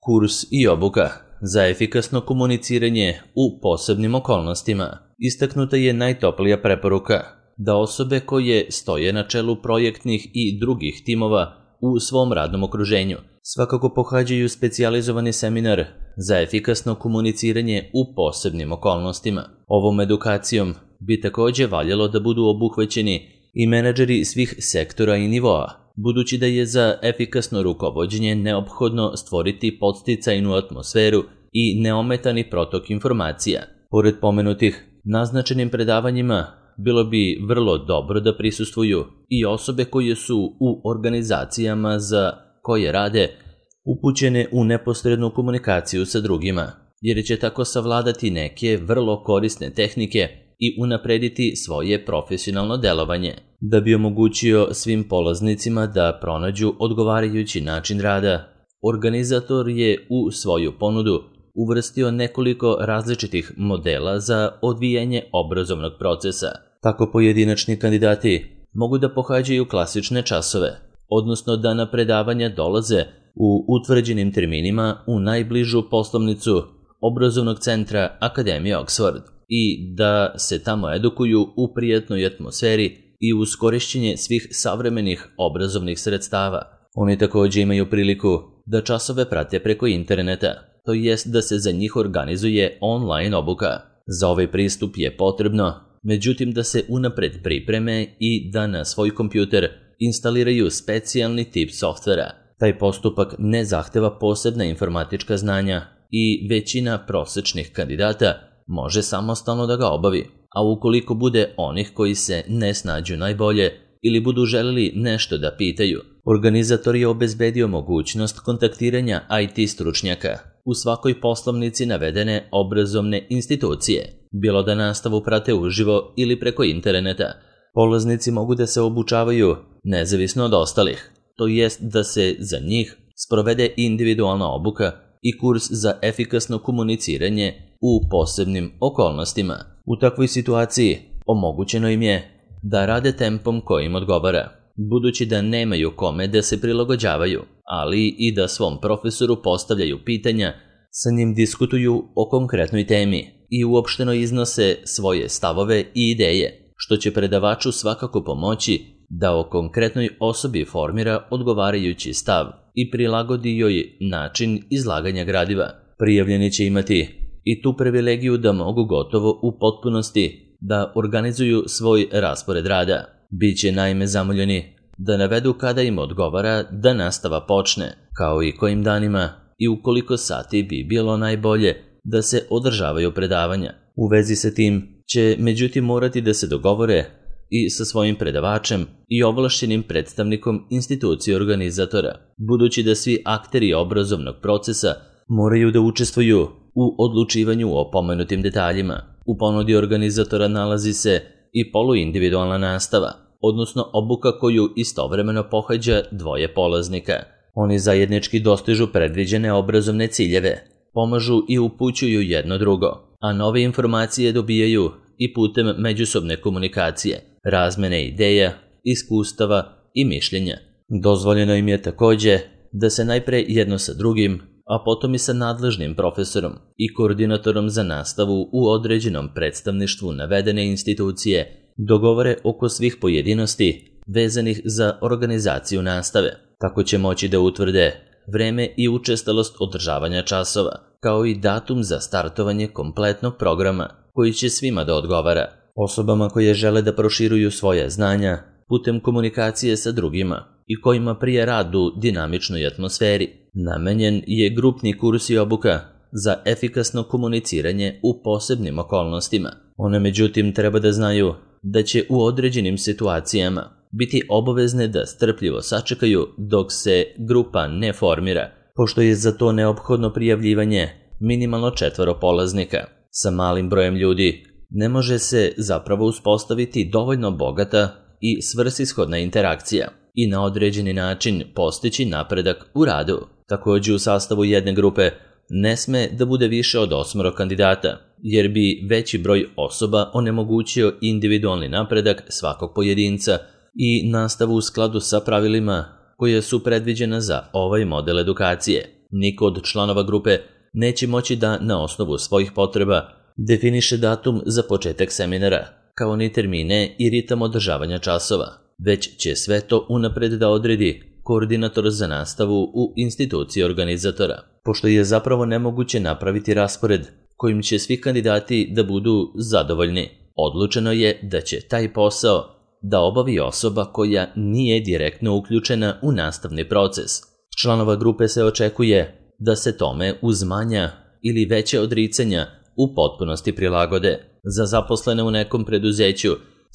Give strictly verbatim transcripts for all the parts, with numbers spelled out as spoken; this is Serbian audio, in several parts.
Kurs i obuka za efikasno komuniciranje u posebnim okolnostima. Istaknuta je najtoplija preporuka da osobe koje stoje na čelu projektnih i drugih timova u svom radnom okruženju svakako pohađaju specijalizovani seminar za efikasno komuniciranje u posebnim okolnostima. Ovom edukacijom bi takođe valjalo da budu obuhvaćeni i menadžeri svih sektora i nivoa, budući da je za efikasno rukovođenje neophodno stvoriti podsticajnu atmosferu i neometani protok informacija. Pored pomenutih, naznačenim predavanjima bilo bi vrlo dobro da prisustvuju i osobe koje su u organizacijama za koje rade upućene u neposrednu komunikaciju sa drugima, jer će tako savladati neke vrlo korisne tehnike i unaprediti svoje profesionalno delovanje. Da bi omogućio svim polaznicima da pronađu odgovarajući način rada, organizator je u svoju ponudu uvrstio nekoliko različitih modela za odvijanje obrazovnog procesa. Tako pojedinačni kandidati mogu da pohađaju klasične časove, odnosno da na predavanja dolaze u utvrđenim terminima u najbližu poslovnicu obrazovnog centra Akademije Oxford i da se tamo edukuju u prijatnoj atmosferi i uz korišćenje svih savremenih obrazovnih sredstava. Oni takođe imaju priliku da časove prate preko interneta, to jest da se za njih organizuje online obuka. Za ovaj pristup je potrebno, međutim, da se unapred pripreme i da na svoj kompjuter instaliraju specijalni tip softvera. Taj postupak ne zahteva posebna informatička znanja i većina prosečnih kandidata može samostalno da ga obavi, a ukoliko bude onih koji se ne snađu najbolje ili budu želeli nešto da pitaju, organizator je obezbedio mogućnost kontaktiranja I T stručnjaka u svakoj poslovnici navedene obrazovne institucije, bilo da nastavu prate uživo ili preko interneta. Polaznici mogu da se obučavaju nezavisno od ostalih, to jest da se za njih sprovede individualna obuka i kurs za efikasno komuniciranje u posebnim okolnostima. U takvoj situaciji omogućeno im je da rade tempom koji im odgovara, budući da nemaju kome da se prilagođavaju, ali i da svom profesoru postavljaju pitanja, sa njim diskutuju o konkretnoj temi i uopšteno iznose svoje stavove i ideje, što će predavaču svakako pomoći da o konkretnoj osobi formira odgovarajući stav i prilagodi joj način izlaganja gradiva. Prijavljeni će imati i tu privilegiju da mogu gotovo u potpunosti da organizuju svoj raspored rada. Biće naime zamoljeni da navedu kada im odgovara da nastava počne, kao i kojim danima i u koliko sati bi bilo najbolje da se održavaju predavanja. U vezi sa tim će međutim morati da se dogovore i sa svojim predavačem i ovlašćenim predstavnikom institucije organizatora, budući da svi akteri obrazovnog procesa moraju da učestvuju u odlučivanju o pomenutim detaljima. U ponudi organizatora nalazi se i poluindividualna nastava, odnosno obuka koju istovremeno pohađa dvoje polaznika. Oni zajednički dostižu predviđene obrazovne ciljeve, pomažu i upućuju jedno drugo, a nove informacije dobijaju i putem međusobne komunikacije, razmene ideja, iskustava i mišljenja. Dozvoljeno im je takođe da se najpre jedno sa drugim, a potom i sa nadležnim profesorom i koordinatorom za nastavu u određenom predstavništvu navedene institucije dogovore oko svih pojedinosti vezanih za organizaciju nastave. Tako će moći da utvrde vreme i učestalost održavanja časova, kao i datum za startovanje kompletnog programa koji će svima da odgovara. Osobama koje žele da proširuju svoje znanja putem komunikacije sa drugima i kojima prije rad u dinamičnoj atmosferi, namenjen je grupni kurs i obuka za efikasno komuniciranje u posebnim okolnostima. One međutim treba da znaju da će u određenim situacijama biti obavezne da strpljivo sačekaju dok se grupa ne formira, pošto je za to neophodno prijavljivanje minimalno četvoro polaznika. Sa malim brojem ljudi ne može se zapravo uspostaviti dovoljno bogata i svrsishodna interakcija i na određeni način postići napredak u radu. Takođe u sastavu jedne grupe ne sme da bude više od osmoro kandidata, jer bi veći broj osoba onemogućio individualni napredak svakog pojedinca i nastavu u skladu sa pravilima koje su predviđena za ovaj model edukacije. Niko od članova grupe neće moći da na osnovu svojih potreba definiše datum za početak seminara, kao ni termine i ritam održavanja časova, već će sve to unapred da odredi koordinator za nastavu u instituciji organizatora, pošto je zapravo nemoguće napraviti raspored kojim će svi kandidati da budu zadovoljni. Odlučeno je da će taj posao da obavi osoba koja nije direktno uključena u nastavni proces. Članova grupe se očekuje da se tome uz manja ili veće odricanja u potpunosti prilagode. Za zaposlene u nekom preduzeću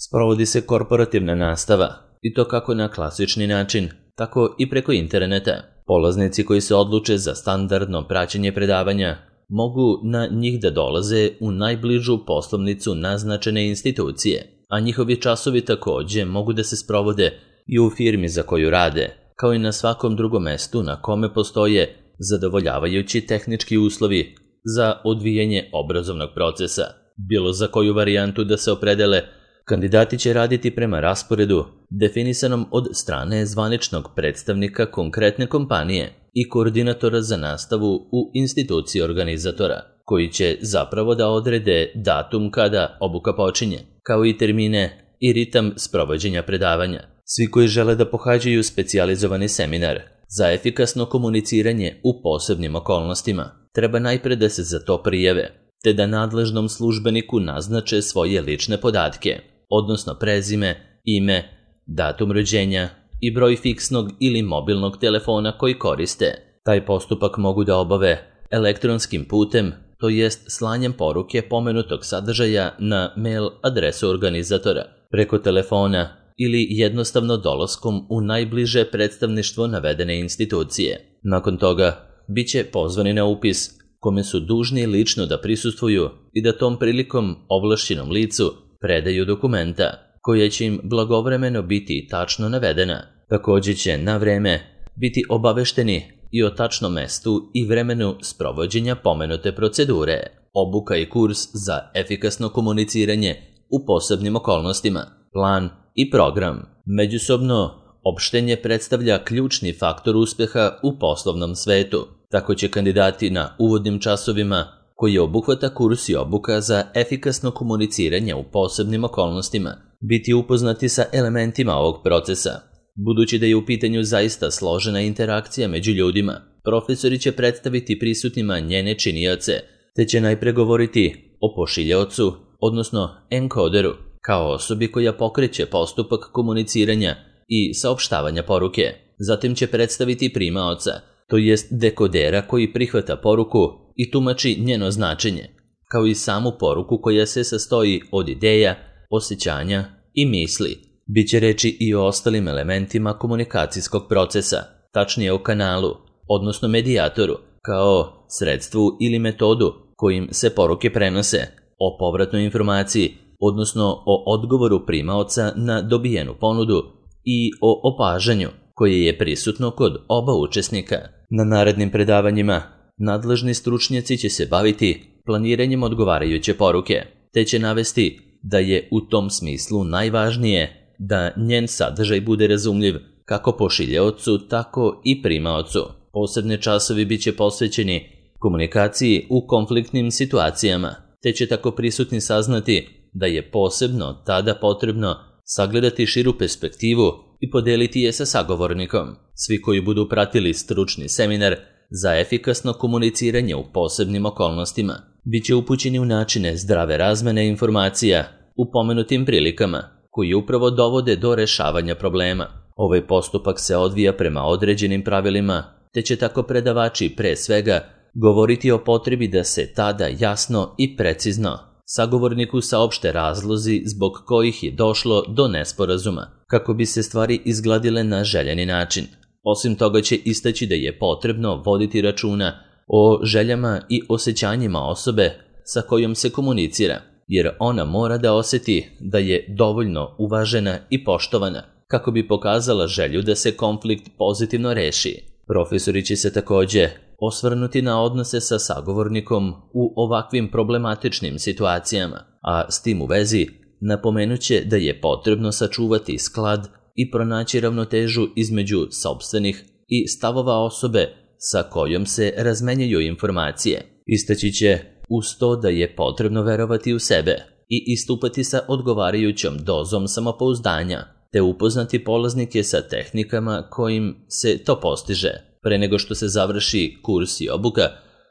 sprovodi se korporativna nastava, i to kako na klasični način, tako i preko interneta. Polaznici koji se odluče za standardno praćenje predavanja mogu na njih da dolaze u najbližu poslovnicu naznačene institucije, a njihovi časovi takođe mogu da se sprovode i u firmi za koju rade, kao i na svakom drugom mestu na kome postoje zadovoljavajući tehnički uslovi za odvijanje obrazovnog procesa. Bilo za koju varijantu da se opredele, kandidati će raditi prema rasporedu definisanom od strane zvaničnog predstavnika konkretne kompanije i koordinatora za nastavu u instituciji organizatora, koji će zapravo da odrede datum kada obuka počinje, kao i termine i ritam sprovođenja predavanja. Svi koji žele da pohađaju specijalizovani seminar za efikasno komuniciranje u posebnim okolnostima treba najpre da se za to prijave, te da nadležnom službeniku naznače svoje lične podatke, odnosno prezime, ime, datum rođenja i broj fiksnog ili mobilnog telefona koji koriste. Taj postupak mogu da obave elektronskim putem, to jest slanjem poruke pomenutog sadržaja na mail adresu organizatora, preko telefona ili jednostavno dolaskom u najbliže predstavništvo navedene institucije. Nakon toga, bit će pozvani na upis, kome su dužni lično da prisustvuju i da tom prilikom ovlašćenom licu predaju dokumenta, koja će im blagovremeno biti tačno navedena. Takođe će na vreme biti obavešteni i o tačnom mestu i vremenu sprovođenja pomenute procedure. Obuka i kurs za efikasno komuniciranje u posebnim okolnostima, plan i program. Međusobno opštenje predstavlja ključni faktor uspeha u poslovnom svetu. Tako će kandidati na uvodnim časovima, koji obuhvata kurs i obuka za efikasno komuniciranje u posebnim okolnostima, biti upoznati sa elementima ovog procesa. Budući da je u pitanju zaista složena interakcija među ljudima, profesori će predstaviti prisutnima njene činioce, te će najpre govoriti o pošiljaocu, odnosno enkoderu, kao osobi koja pokreće postupak komuniciranja i saopštavanja poruke. Zatim će predstaviti primaoca, to jest dekodera koji prihvata poruku i tumači njeno značenje, kao i samu poruku koja se sastoji od ideja, osjećanja i misli. Biće reči i o ostalim elementima komunikacijskog procesa, tačnije o kanalu, odnosno medijatoru, kao sredstvu ili metodu kojim se poruke prenose, o povratnoj informaciji, odnosno o odgovoru primaoca na dobijenu ponudu i o opažanju koje je prisutno kod oba učesnika. Na narednim predavanjima nadležni stručnjaci će se baviti planiranjem odgovarajuće poruke, te će navesti da je u tom smislu najvažnije da njen sadržaj bude razumljiv kako pošiljaocu, tako i primaocu. Posebne časovi bit će posvećeni komunikaciji u konfliktnim situacijama, te će tako prisutni saznati da je posebno tada potrebno sagledati širu perspektivu i podeliti je sa sagovornikom. Svi koji budu pratili stručni seminar za efikasno komuniciranje u posebnim okolnostima bit će upućeni u načine zdrave razmene informacija u pomenutim prilikama, koji upravo dovode do rešavanja problema. Ovaj postupak se odvija prema određenim pravilima, te će tako predavači pre svega govoriti o potrebi da se tada jasno i precizno sagovorniku saopšte razlozi zbog kojih je došlo do nesporazuma, kako bi se stvari izgladile na željeni način. Osim toga će istaći da je potrebno voditi računa o željama i osjećanjima osobe sa kojom se komunicira, jer ona mora da osjeti da je dovoljno uvažena i poštovana, kako bi pokazala želju da se konflikt pozitivno reši. Profesori će se takođe osvrnuti na odnose sa sagovornikom u ovakvim problematičnim situacijama, a s tim u vezi napomenuće da je potrebno sačuvati sklad i pronaći ravnotežu između sopstvenih i stavova osobe sa kojom se razmenjuju informacije. Istaći će uz to da je potrebno verovati u sebe i istupati sa odgovarajućom dozom samopouzdanja, te upoznati polaznike sa tehnikama kojim se to postiže, pre nego što se završi kurs i obuka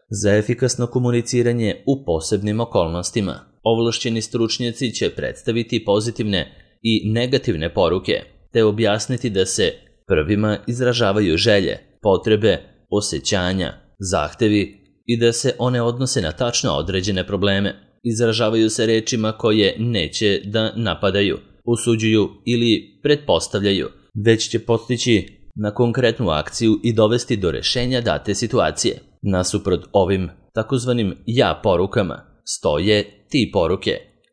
za efikasno komuniciranje u posebnim okolnostima. Ovlašćeni stručnjaci će predstaviti pozitivne i negativne poruke, te objasniti da se prvima izražavaju želje, potrebe, osjećanja, zahtevi i da se one odnose na tačno određene probleme. Izražavaju se rečima koje neće da napadaju, osuđuju ili pretpostavljaju, već će postići na konkretnu akciju i dovesti do rešenja date situacije. Nasuprot ovim takozvanim ja porukama stoje ti poruke,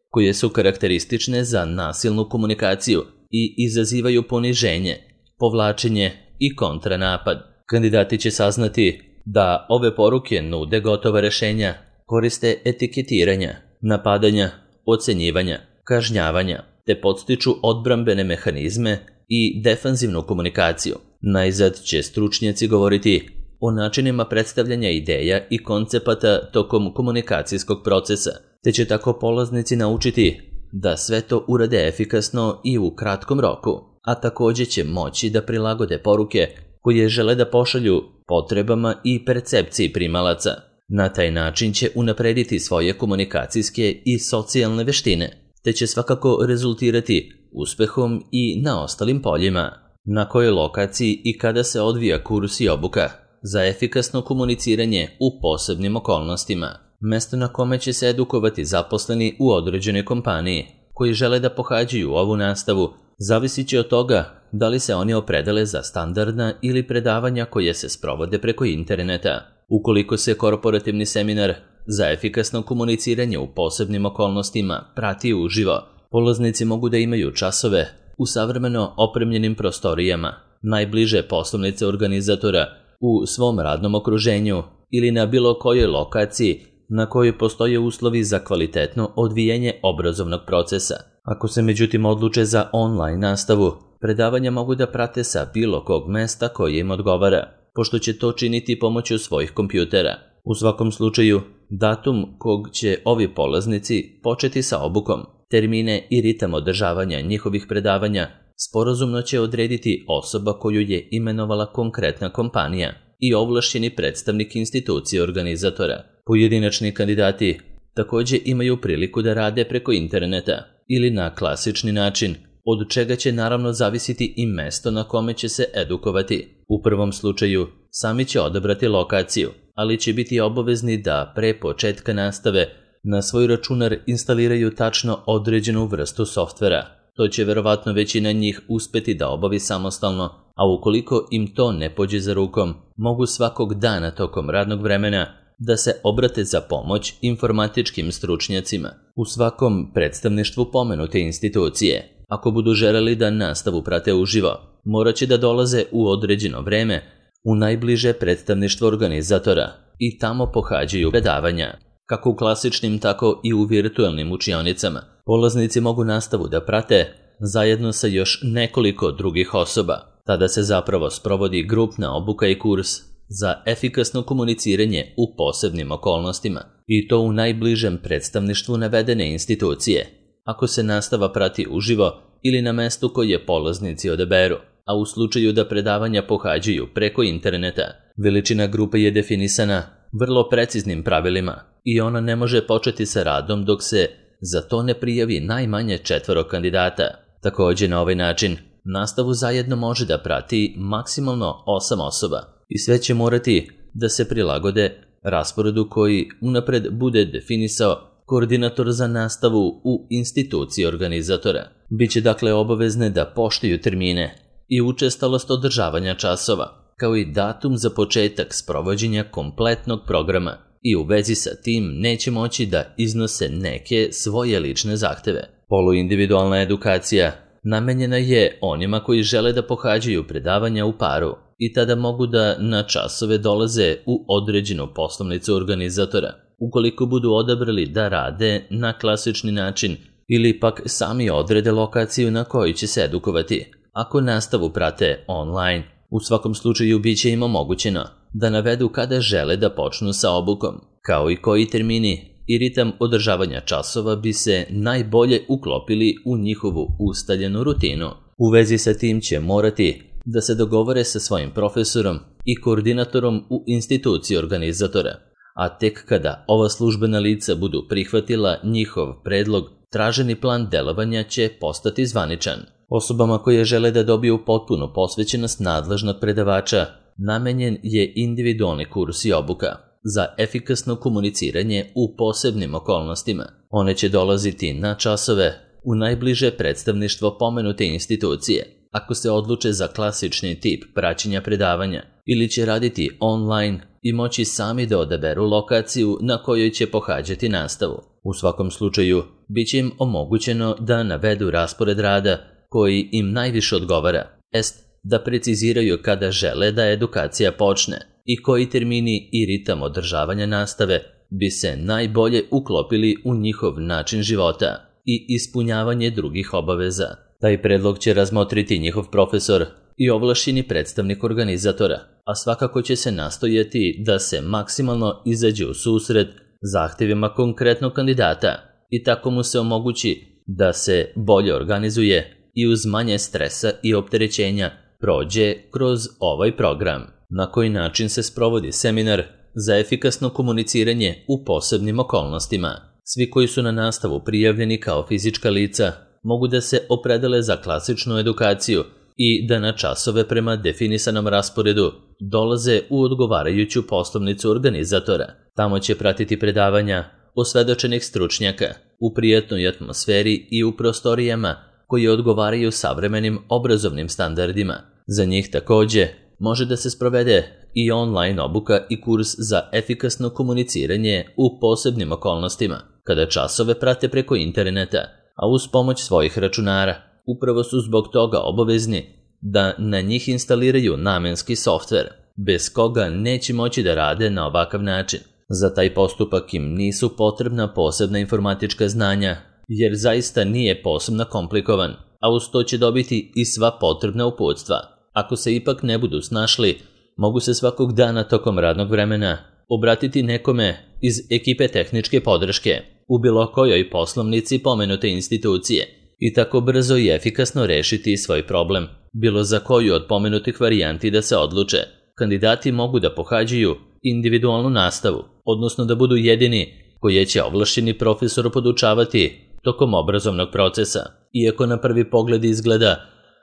koje su karakteristične za nasilnu komunikaciju i izazivaju poniženje, povlačenje i kontranapad. Kandidati će saznati da ove poruke nude gotova rešenja, koriste etiketiranja, napadanja, ocenjivanja, kažnjavanja, te podstiču odbrambene mehanizme i defanzivnu komunikaciju. Najzad će stručnjaci govoriti o načinima predstavljanja ideja i koncepata tokom komunikacijskog procesa, te će tako polaznici naučiti da sve to urade efikasno i u kratkom roku, a takođe će moći da prilagode poruke koje žele da pošalju potrebama i percepciji primalaca. Na taj način će unaprediti svoje komunikacijske i socijalne veštine, te će svakako rezultirati uspehom i na ostalim poljima. Na kojoj lokaciji i kada se odvija kurs i obuka za efikasno komuniciranje u posebnim okolnostima? Mesto na kome će se edukovati zaposleni u određenoj kompaniji koji žele da pohađaju ovu nastavu zavisit će od toga da li se oni opredele za standardna ili predavanja koje se sprovode preko interneta. Ukoliko se korporativni seminar za efikasno komuniciranje u posebnim okolnostima prati uživo, polaznici mogu da imaju časove u savremeno opremljenim prostorijama, najbliže poslovnice organizatora, u svom radnom okruženju ili na bilo kojoj lokaciji na kojoj postoje uslovi za kvalitetno odvijanje obrazovnog procesa. Ako se međutim odluče za online nastavu, predavanja mogu da prate sa bilo kog mesta koje im odgovara, pošto će to činiti pomoću svojih kompjutera. U svakom slučaju, datum kog će ovi polaznici početi sa obukom, termine i ritam održavanja njihovih predavanja sporazumno će odrediti osoba koju je imenovala konkretna kompanija i ovlašćeni predstavnik institucije organizatora. Pojedinačni kandidati takođe imaju priliku da rade preko interneta ili na klasični način, od čega će naravno zavisiti i mesto na kome će se edukovati. U prvom slučaju sami će odabrati lokaciju, ali će biti obavezni da pre početka nastave na svoj računar instaliraju tačno određenu vrstu softvera. To će verovatno većina njih uspeti da obavi samostalno, a ukoliko im to ne pođe za rukom, mogu svakog dana tokom radnog vremena da se obrate za pomoć informatičkim stručnjacima u svakom predstavništvu pomenute institucije. Ako budu želeli da nastavu prate uživo, morat će da dolaze u određeno vreme u najbliže predstavništvo organizatora i tamo pohađaju predavanja. Kako u klasičnim, tako i u virtualnim učionicama, polaznici mogu nastavu da prate zajedno sa još nekoliko drugih osoba. Tada se zapravo sprovodi grupna obuka i kurs za efikasno komuniciranje u posebnim okolnostima, i to u najbližem predstavništvu navedene institucije. Ako se nastava prati uživo ili na mestu koje polaznici odaberu, a u slučaju da predavanja pohađaju preko interneta, veličina grupe je definisana vrlo preciznim pravilima i ona ne može početi sa radom dok se za to ne prijavi najmanje četvoro kandidata. Takođe, na ovaj način nastavu zajedno može da prati maksimalno osam osoba i sve će morati da se prilagode rasporedu koji unapred bude definisao koordinator za nastavu u instituciji organizatora. Biće dakle obavezne da poštuju termine i učestalost održavanja časova, kao i datum za početak sprovođenja kompletnog programa, i u vezi sa tim neće moći da iznose neke svoje lične zahteve. Poluindividualna edukacija namenjena je onima koji žele da pohađaju predavanja u paru i tada mogu da na časove dolaze u određenu poslovnicu organizatora. Ukoliko budu odabrali da rade na klasični način ili pak sami odrede lokaciju na kojoj će se edukovati. Ako nastavu prate online, u svakom slučaju bit će im omogućeno da navedu kada žele da počnu sa obukom, kao i koji termini i ritam održavanja časova bi se najbolje uklopili u njihovu ustaljenu rutinu. U vezi sa tim će morati da se dogovore sa svojim profesorom i koordinatorom u instituciji organizatora, a tek kada ova službena lica budu prihvatila njihov predlog, traženi plan delovanja će postati zvaničan. Osobama koje žele da dobiju potpunu posvećenost nadležnog predavača namenjen je individualni kurs i obuka za efikasno komuniciranje u posebnim okolnostima. One će dolaziti na časove u najbliže predstavništvo pomenute institucije, ako se odluče za klasični tip praćenja predavanja, ili će raditi online i moći sami da odaberu lokaciju na kojoj će pohađati nastavu. U svakom slučaju, bit će im omogućeno da navedu raspored rada koji im najviše odgovara, est da preciziraju kada žele da edukacija počne i koji termini i ritam održavanja nastave bi se najbolje uklopili u njihov način života i ispunjavanje drugih obaveza. Taj predlog će razmotriti njihov profesor i ovlašćeni predstavnik organizatora, a svakako će se nastojati da se maksimalno izađe u susret zahtjevima konkretnog kandidata i tako mu se omogući da se bolje organizuje i uz manje stresa i opterećenja prođe kroz ovaj program. Na koji način se sprovodi seminar za efikasno komuniciranje u posebnim okolnostima? Svi koji su na nastavu prijavljeni kao fizička lica mogu da se opredele za klasičnu edukaciju i da na časove prema definisanom rasporedu dolaze u odgovarajuću poslovnicu organizatora. Tamo će pratiti predavanja osvedočenih stručnjaka u prijatnoj atmosferi i u prostorijama koje odgovaraju savremenim obrazovnim standardima. Za njih takođe može da se sprovede i online obuka i kurs za efikasno komuniciranje u posebnim okolnostima, kada časove prate preko interneta, a uz pomoć svojih računara. Upravo su zbog toga obavezni da na njih instaliraju namenski softver, bez koga neće moći da rade na ovakav način. Za taj postupak im nisu potrebna posebna informatička znanja, jer zaista nije posebno komplikovan, a uz to će dobiti i sva potrebna uputstva. Ako se ipak ne budu snašli, mogu se svakog dana tokom radnog vremena obratiti nekome iz ekipe tehničke podrške u bilo kojoj poslovnici pomenute institucije i tako brzo i efikasno rešiti svoj problem. Bilo za koju od pomenutih varijanti da se odluče, kandidati mogu da pohađaju individualnu nastavu, odnosno da budu jedini koje će ovlašćeni profesor podučavati tokom obrazovnog procesa, iako na prvi pogled izgleda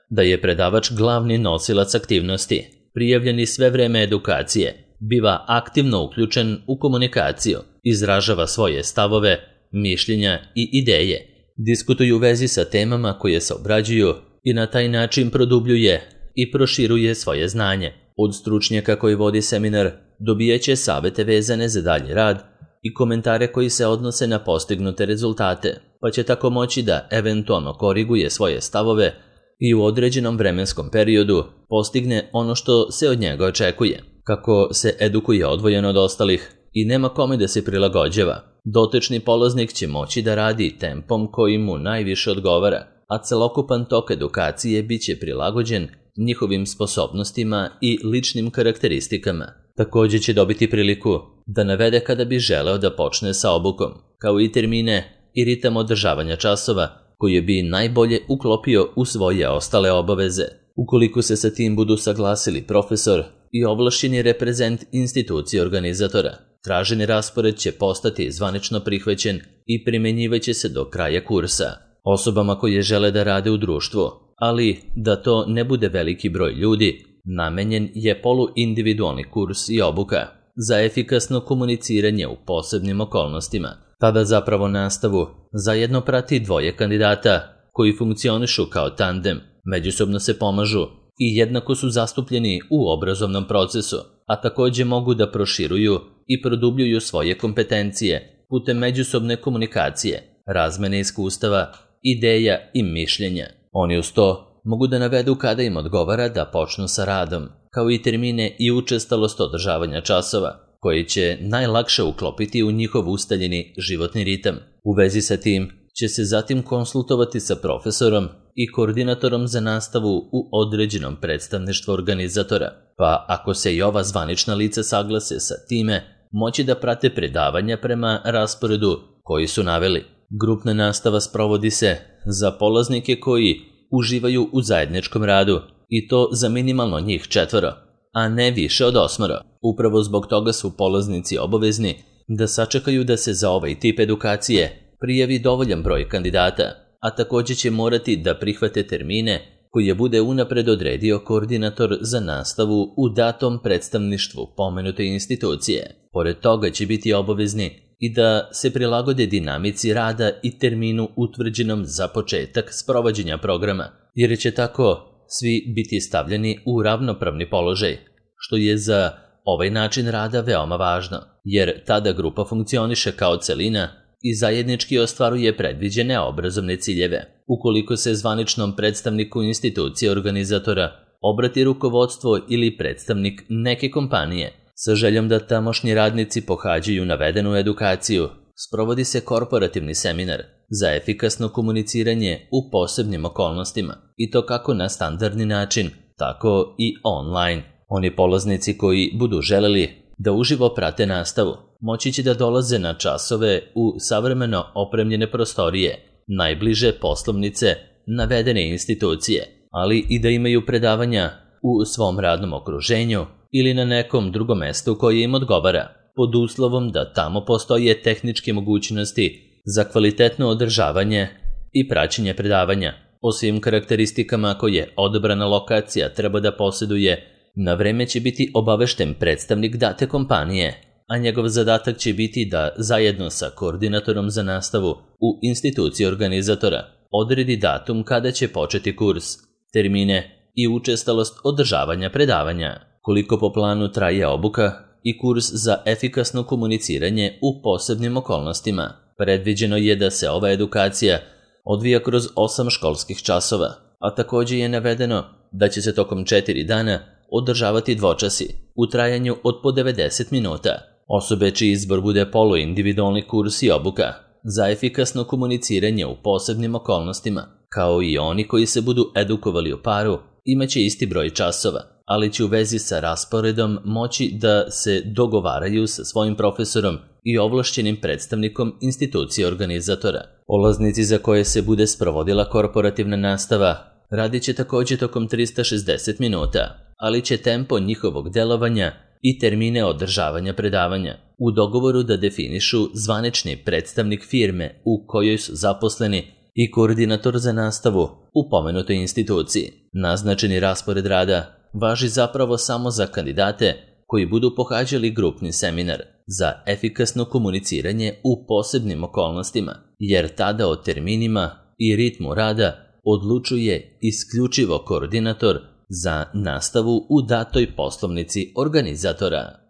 da je predavač glavni nosilac aktivnosti. Prijavljeni sve vreme edukacije, biva aktivno uključen u komunikaciju, izražava svoje stavove, mišljenja i ideje, diskutuju u vezi sa temama koje se obrađuju i na taj način produbljuje i proširuje svoje znanje. Od stručnjaka koji vodi seminar dobijaće savete vezane za dalji rad i komentare koji se odnose na postignute rezultate, pa će tako moći da eventualno koriguje svoje stavove i u određenom vremenskom periodu postigne ono što se od njega očekuje. Kako se edukuje odvojeno od ostalih i nema kome da se prilagođava, dotični polaznik će moći da radi tempom koji mu najviše odgovara, a celokupan tok edukacije bit će prilagođen njihovim sposobnostima i ličnim karakteristikama. Također će dobiti priliku da navede kada bi želeo da počne sa obukom, kao i termine i ritam održavanja časova koje bi najbolje uklopio u svoje ostale obaveze. Ukoliko se sa tim budu saglasili profesor i ovlašćeni reprezent institucije organizatora, traženi raspored će postati zvanično prihvaćen i primenjivaće se do kraja kursa. Osobama koje žele da rade u društvu, ali da to ne bude veliki broj ljudi, namenjen je poluindividualni kurs i obuka za efikasno komuniciranje u posebnim okolnostima. Tada zapravo nastavu zajedno prati dvoje kandidata koji funkcionišu kao tandem, međusobno se pomažu i jednako su zastupljeni u obrazovnom procesu, a također mogu da proširuju i produbljuju svoje kompetencije putem međusobne komunikacije, razmene iskustava, ideja i mišljenja. Oni uz to mogu da navedu kada im odgovara da počnu sa radom, kao i termine i učestalost održavanja časova, koji će najlakše uklopiti u njihov ustaljeni životni ritam. U vezi sa tim će se zatim konsultovati sa profesorom i koordinatorom za nastavu u određenom predstavništvu organizatora, pa ako se i ova zvanična lica saglase sa time, moći da prate predavanja prema rasporedu koji su naveli. Grupna nastava sprovodi se za polaznike koji uživaju u zajedničkom radu i to za minimalno njih četvoro, a ne više od osmoro. Upravo zbog toga su polaznici obavezni da sačekaju da se za ovaj tip edukacije prijavi dovoljan broj kandidata, a također će morati da prihvate termine koje bude unapred odredio koordinator za nastavu u datom predstavništvu pomenute institucije. Pored toga će biti obavezni i da se prilagode dinamici rada i terminu utvrđenom za početak sprovođenja programa, jer će tako svi biti stavljeni u ravnopravni položaj, što je za ovaj način rada veoma važno, jer tada grupa funkcioniše kao celina i zajednički ostvaruje predviđene obrazovne ciljeve. Ukoliko se zvaničnom predstavniku institucije organizatora obrati rukovodstvo ili predstavnik neke kompanije sa željom da tamošnji radnici pohađaju navedenu edukaciju, sprovodi se korporativni seminar za efikasno komuniciranje u posebnim okolnostima, i to kako na standardni način, tako i online. Oni polaznici koji budu želeli da uživo prate nastavu, moći će da dolaze na časove u savremeno opremljene prostorije, najbliže poslovnice navedene institucije, ali i da imaju predavanja u svom radnom okruženju ili na nekom drugom mestu koje im odgovara, pod uslovom da tamo postoje tehničke mogućnosti za kvalitetno održavanje i praćenje predavanja. O svim karakteristikama koje odabrana lokacija treba da posjeduje, na vreme će biti obavešten predstavnik date kompanije, a njegov zadatak će biti da zajedno sa koordinatorom za nastavu u instituciji organizatora odredi datum kada će početi kurs, termine i učestalost održavanja predavanja. Koliko po planu traje obuka i kurs za efikasno komuniciranje u posebnim okolnostima. Predviđeno je da se ova edukacija odvija kroz osam školskih časova, a također je navedeno da će se tokom četiri dana održavati dvočasi u trajanju od po devedeset minuta. Osobe čiji izbor bude poluindividualni kurs i obuka za efikasno komuniciranje u posebnim okolnostima, kao i oni koji se budu edukovali u paru, imaće isti broj časova, ali će u vezi sa rasporedom moći da se dogovaraju sa svojim profesorom i ovlašćenim predstavnikom institucije organizatora. Polaznici za koje se bude sprovodila korporativna nastava radit će također tokom trista šezdeset minuta, ali će tempo njihovog delovanja i termine održavanja predavanja u dogovoru da definišu zvanični predstavnik firme u kojoj su zaposleni i koordinator za nastavu u pomenutoj instituciji. Naznačeni raspored rada važi zapravo samo za kandidate koji budu pohađali grupni seminar za efikasno komuniciranje u posebnim okolnostima, jer tada o terminima i ritmu rada odlučuje isključivo koordinator za nastavu u datoj poslovnici organizatora.